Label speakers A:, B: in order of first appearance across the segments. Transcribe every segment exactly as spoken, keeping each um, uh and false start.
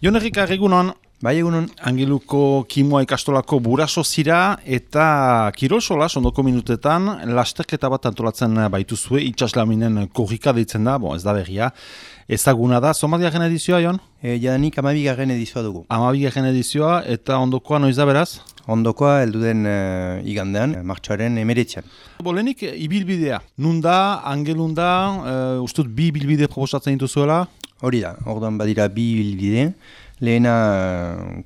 A: Jon Errika, egunon.
B: Bai, egunon.
A: Angeluko Kimua ikastolako buraso zira eta Kirosola sondoko minutetan lasterketa bat antolatzen baituzue, itxaslaminen korrika deitzen da, bon, ez da berria, ezaguna da. Zomadigarren edizioa, Jon?
B: E, jadanik amabigarren edizioa dugu.
A: Amabigarren edizioa eta ondokoa noiz da beraz?
B: Ondokoa heldu den e, igandean, martxoaren emeretzean.
A: Bolenik, ibilbidea. Nunda, Angelunda, e, ustut bi ibilbide proposatzen dituzuela?
B: Hori da, orduan badira bi ibilbide. Lehena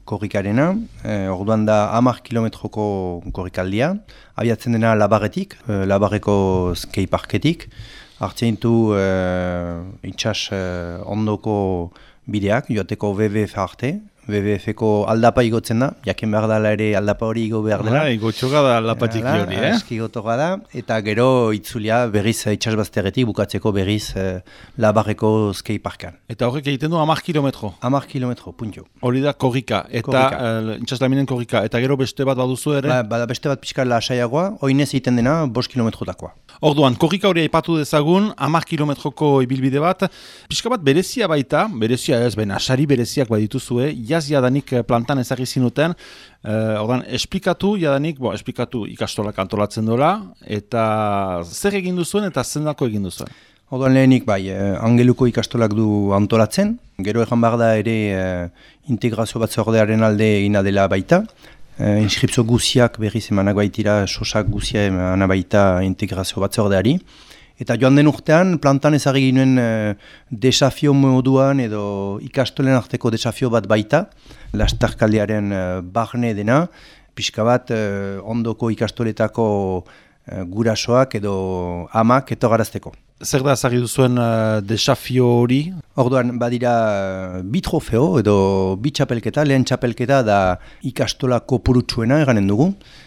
B: korrikarena, eh, orduan da hamar kilometroko korrikaldia, abiatzen dena Labarretik, eh, Labarreko skeiparketik, hartzen ditu eh, itxas eh, ondoko bideak, joateko W W F arte, W W F-ko aldapa igotzen da, jaken behar dela ere aldapa hori igo behar dela.
A: Hala, igotxoga da aldapatik hori, eh?
B: Aski gotoga da, eta gero itzulia berriz itxasbazterretik bukatzeko berriz eh, Labarreko skeiparkan.
A: Eta horrek egiten du hamar kilometro?
B: hamar kilometro, puntio.
A: Hori da korrika, eta uh, itxaslaminen korrika, eta gero beste bat baduzu ere?
B: Ba, bada beste bat pixka lasaiagoa, oinez egiten dena bost kilometrotakoa.
A: Orduan, korrika hori aipatu dezagun, hamar kilometroko ibilbide bat, pixka bat berezia baita, berezia ez, baina sari bereziak badituzue, jaz jadanik plantan ezagri zinuten, uh, orduan, esplikatu jadanik, bo, esplikatu ikastolak antolatzen dola, eta zer egin duzuen eta zendako egin duzuen?
B: Orduan lehenik bai, eh, Angeluko ikastolak du antolatzen, gero egan behar da ere eh, integrazio batzordearen alde egina dela baita, eh, inskripzio guziak berriz emanak baitira, sosak guzia emanak baita integrazio batzordeari. Eta joan den urtean, plantan ezagri ginen eh, desafio moduan edo ikastolen arteko desafio bat baita, lastarkaldiaren eh, barne dena, pixka bat eh, ondoko ikastoletako eh, gurasoak edo amak etogarazteko.
A: Zer da ezagri duzuen uh, desafio hori?
B: Orduan, badira bi trofeo edo bi txapelketa, lehen txapelketa da ikastola kopurutsuena eganen dugu.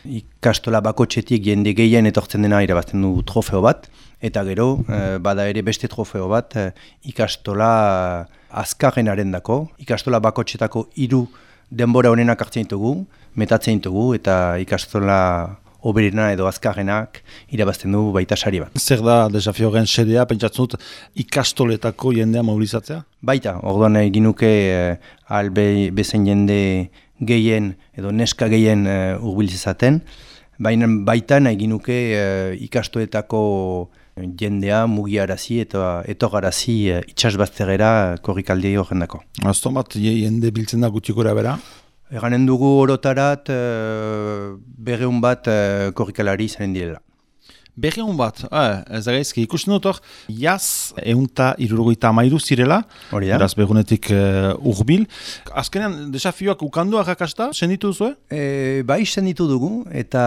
B: Ikastola bakotxetik jende gehien etortzen dena irabazten du trofeo bat. Eta gero, eh, bada ere beste trofeo bat, eh, ikastola azkarrenaren dako. Ikastola bakotxetako hiru denbora honenak hartzen ditugu, metatzen ditugu, eta ikastola oberena edo azkarrenak irabazten du baita sari bat.
A: Zer da desafioaren xedea, pentsatzen dut ikastoletako jendea mobilizatzea?
B: Baita, orduan egin nuke eh, albe bezen jende gehien edo neska gehien eh, urbilizaten, baina baita egin nuke eh, ikastoletako jendea mugiarazi eta etogarazi eh, itxasbazterera korrikaldi horren dako.
A: Azton bat jende biltzen da gutxikora bera?
B: Eganen dugu orotarat uh, berreun bat uh, korrikalari zaren direla.
A: Berreun bat, eh, ez da gaizki, ikusten dut hor, jaz eunta irurogoita amairu zirela, eraz begunetik uh, urbil. Azkenean, desafioak ukandu arrakasta, senditu duzu, eh?
B: E, bai, senditu dugu, eta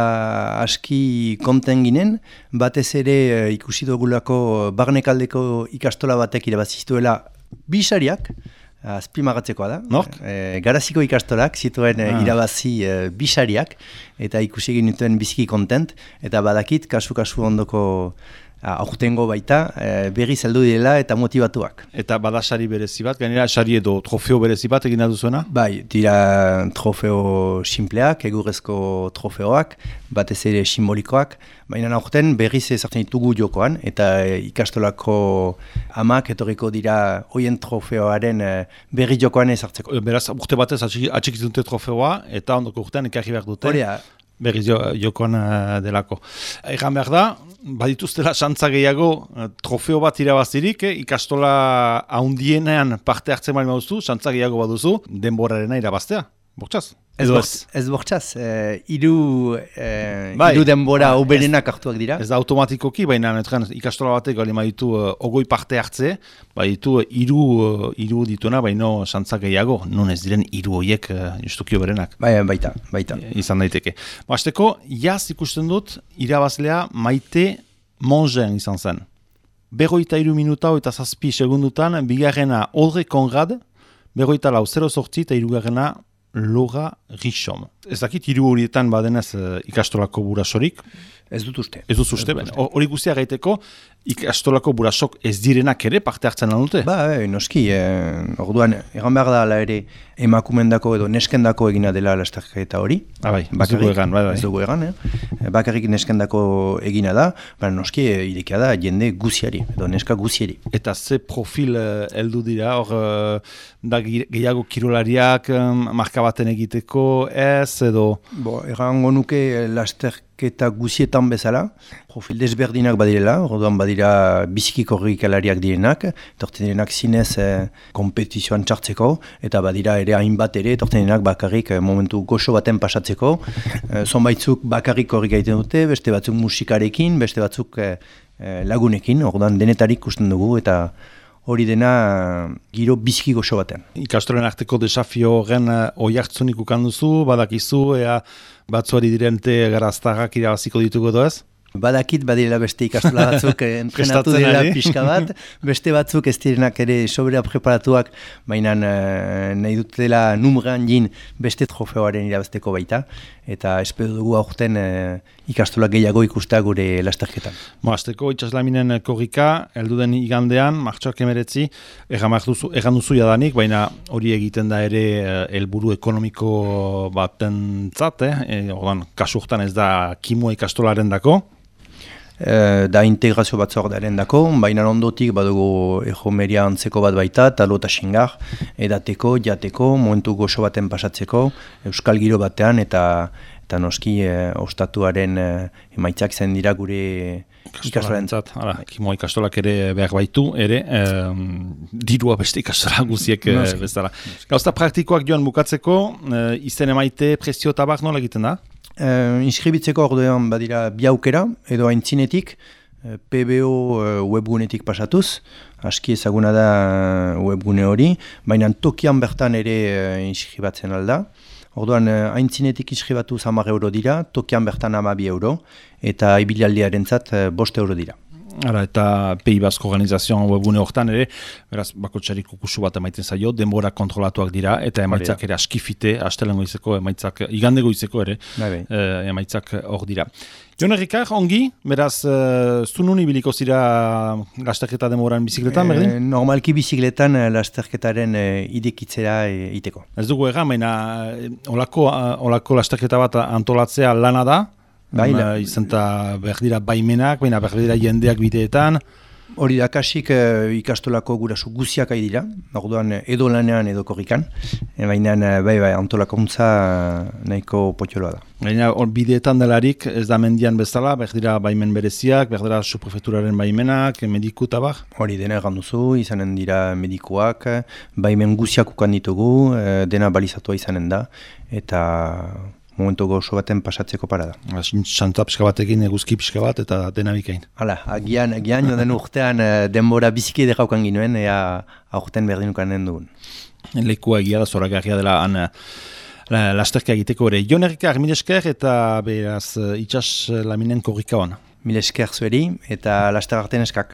B: aski konten ginen, batez ere uh, ikusi dugulako barnekaldeko ikastola batek irabaziztuela bisariak, azpimagatzekoa da.
A: Nork?
B: E, garaziko ikastolak zituen ah. irabazi e, bisariak eta ikusi egin duten biziki kontent eta badakit kasu-kasu ondoko aurtengo baita e, berri zeldu direla eta motivatuak.
A: Eta bada sari berezi bat, gainera sari edo trofeo berezi bat egin duzuena?
B: Bai, dira trofeo simpleak, egurrezko trofeoak, batez ere simbolikoak, baina aurten berriz ezartzen ditugu jokoan eta ikastolako amak etorriko dira hoien trofeoaren berri jokoan ezartzeko.
A: Beraz, urte batez atxikitzen dute trofeoa eta ondoko urtean ekarri behar dute.
B: Horia.
A: Berriz jo, jokoan uh, delako. Egan behar da, badituztela xantza gehiago uh, trofeo bat irabazirik, eh? Ikastola haundienean parte hartzen bali mauzu, xantza gehiago baduzu, denborarena irabaztea. Bortxaz?
B: Ez, ez? ez bortxaz, eh, iru, eh, bai. iru denbora oberenak hartuak dira.
A: Ez da automatikoki, baina netren, ikastola batek gali maitu uh, ogoi parte hartze, baditu uh, iru, uh, iru dituena, baino xantza gehiago, non ez diren iru horiek uh, justuki oberenak.
B: Bai, baita, baita.
A: Izan daiteke. Basteko, jaz ikusten dut, irabazlea Maite Mongen izan zen. Berroita iru minuta eta zazpi segundutan, bigarrena Audrey Konrad, berroita lau zero sortzi eta irugarrena Laura Richom. Ez dakit hiru horietan badenez uh, ikastolako burasorik?
B: Ez dut uste.
A: Ez dut uste, hori guztia gaiteko, ikastolako burasok ez direnak ere parte hartzen lan dute?
B: Ba, e, noski, e, orduan, egan behar da ala ere emakumendako edo neskendako egina dela lasterketa hori.
A: Ah, bai, ez dugu egan, bai, bai.
B: Ez dugu egan, eh? Bakarrik neskendako egina da, baina noski, e, irekia da jende guziari, edo neska guziari.
A: Eta ze profil heldu dira, hor, da gehiago kirolariak, marka baten egiteko, ez, edo...
B: Bo, egango nuke lasterketa guzietan bezala, profil desberdinak badirela, orduan badira biziki korrikalariak direnak, torten direnak zinez eh, kompetizioan txartzeko, eta badira ere hainbat ere, torten direnak bakarrik eh, momentu goxo baten pasatzeko, eh, zonbaitzuk bakarrik korrika egiten dute, beste batzuk musikarekin, beste batzuk eh, lagunekin, orduan denetarik ikusten dugu, eta hori dena giro biziki goxo baten.
A: Ikastolen arteko desafio horren oihartzunik ukanduzu, badakizu, ea batzuari dirente garaztarrak irabaziko ditugu edo ez?
B: Badakit badirela beste ikastola batzuk entrenatu dira pixka bat, beste batzuk ez direnak ere sobera preparatuak, baina uh, nahi dutela numran jin beste trofeoaren irabazteko baita, eta espero dugu aurten uh, ikastola gehiago ikustea gure lasterketan.
A: Mo, azteko itxaslaminen korrika, elduden igandean, martxoak emeretzi, egan duzu jadanik, baina hori egiten da ere helburu ekonomiko baten zat, eh? E, ordan, kasurtan ez da kimua ikastolaren dako,
B: E, da integrazio batzordearen dako, baina ondotik badugu ejomeria antzeko bat baita, talo eta xingar, edateko, jateko, momentu goxo baten pasatzeko, euskal giro batean, eta eta noski e, ostatuaren e, emaitzak zen dira gure ikastolen zat.
A: Kimo ikastolak ere behar baitu, ere, e, dirua beste ikastola guziek e, bezala. Gauza praktikoak joan bukatzeko, e, izen emaite prezio tabak nola egiten da?
B: Uh, inskribitzeko orduan badira bi aukera, edo aintzinetik, uh, P B O uh, webgunetik pasatuz, aski ezaguna da uh, webgune hori, baina tokian bertan ere uh, inskribatzen alda. Orduan, uh, aintzinetik inskribatu hamar euro dira, tokian bertan hamabi euro, eta ibilaldiaren zat uh, bost euro dira.
A: Ara, eta P I B Asko organizazioan webgune hortan ere, beraz, bakotxarik ukusu bat emaiten zaio, denbora kontrolatuak dira, eta emaitzak ere askifite, astelengo izeko, emaitzak, igandego izeko ere, e, emaitzak hor dira. Jon Errikar, ongi, beraz, e, zunun ibiliko zira lasterketa denboran bizikletan, berdin?
B: E, normalki bizikletan lasterketaren e, idekitzera e, iteko.
A: Ez dugu egan, baina olako, olako lasterketa bat antolatzea lana da, Baina, izan eta behar dira baimenak, baina behar dira jendeak bideetan.
B: Hori da, kasik e, ikastolako gurasu guziak ari dira, orduan edo lanean edo korrikan, e, baina bai, bai, antolakuntza nahiko potxoloa da.
A: Baina bideetan delarik ez da mendian bezala, behar dira baimen bereziak, behar dira subprefekturaren baimenak, mediku eta bar?
B: Hori dena egan duzu, izanen dira medikuak, baimen guziak ukan ditugu, e, dena balizatua izanen da, eta... momentu gozo baten pasatzeko parada.
A: Xantza pixka batekin, eguzki pixka bat, eta dena bikain.
B: Hala, agian, agian, joden urtean denbora biziki edekaukan ginoen, ea aurten berdinukan den duen.
A: Lekua egia da, zoragarria dela, han la, lasterka egiteko ere. Jon Errikar, mil esker, eta beraz, itxas laminen korrika hona.
B: Mil esker zueri, eta laster arten eskak.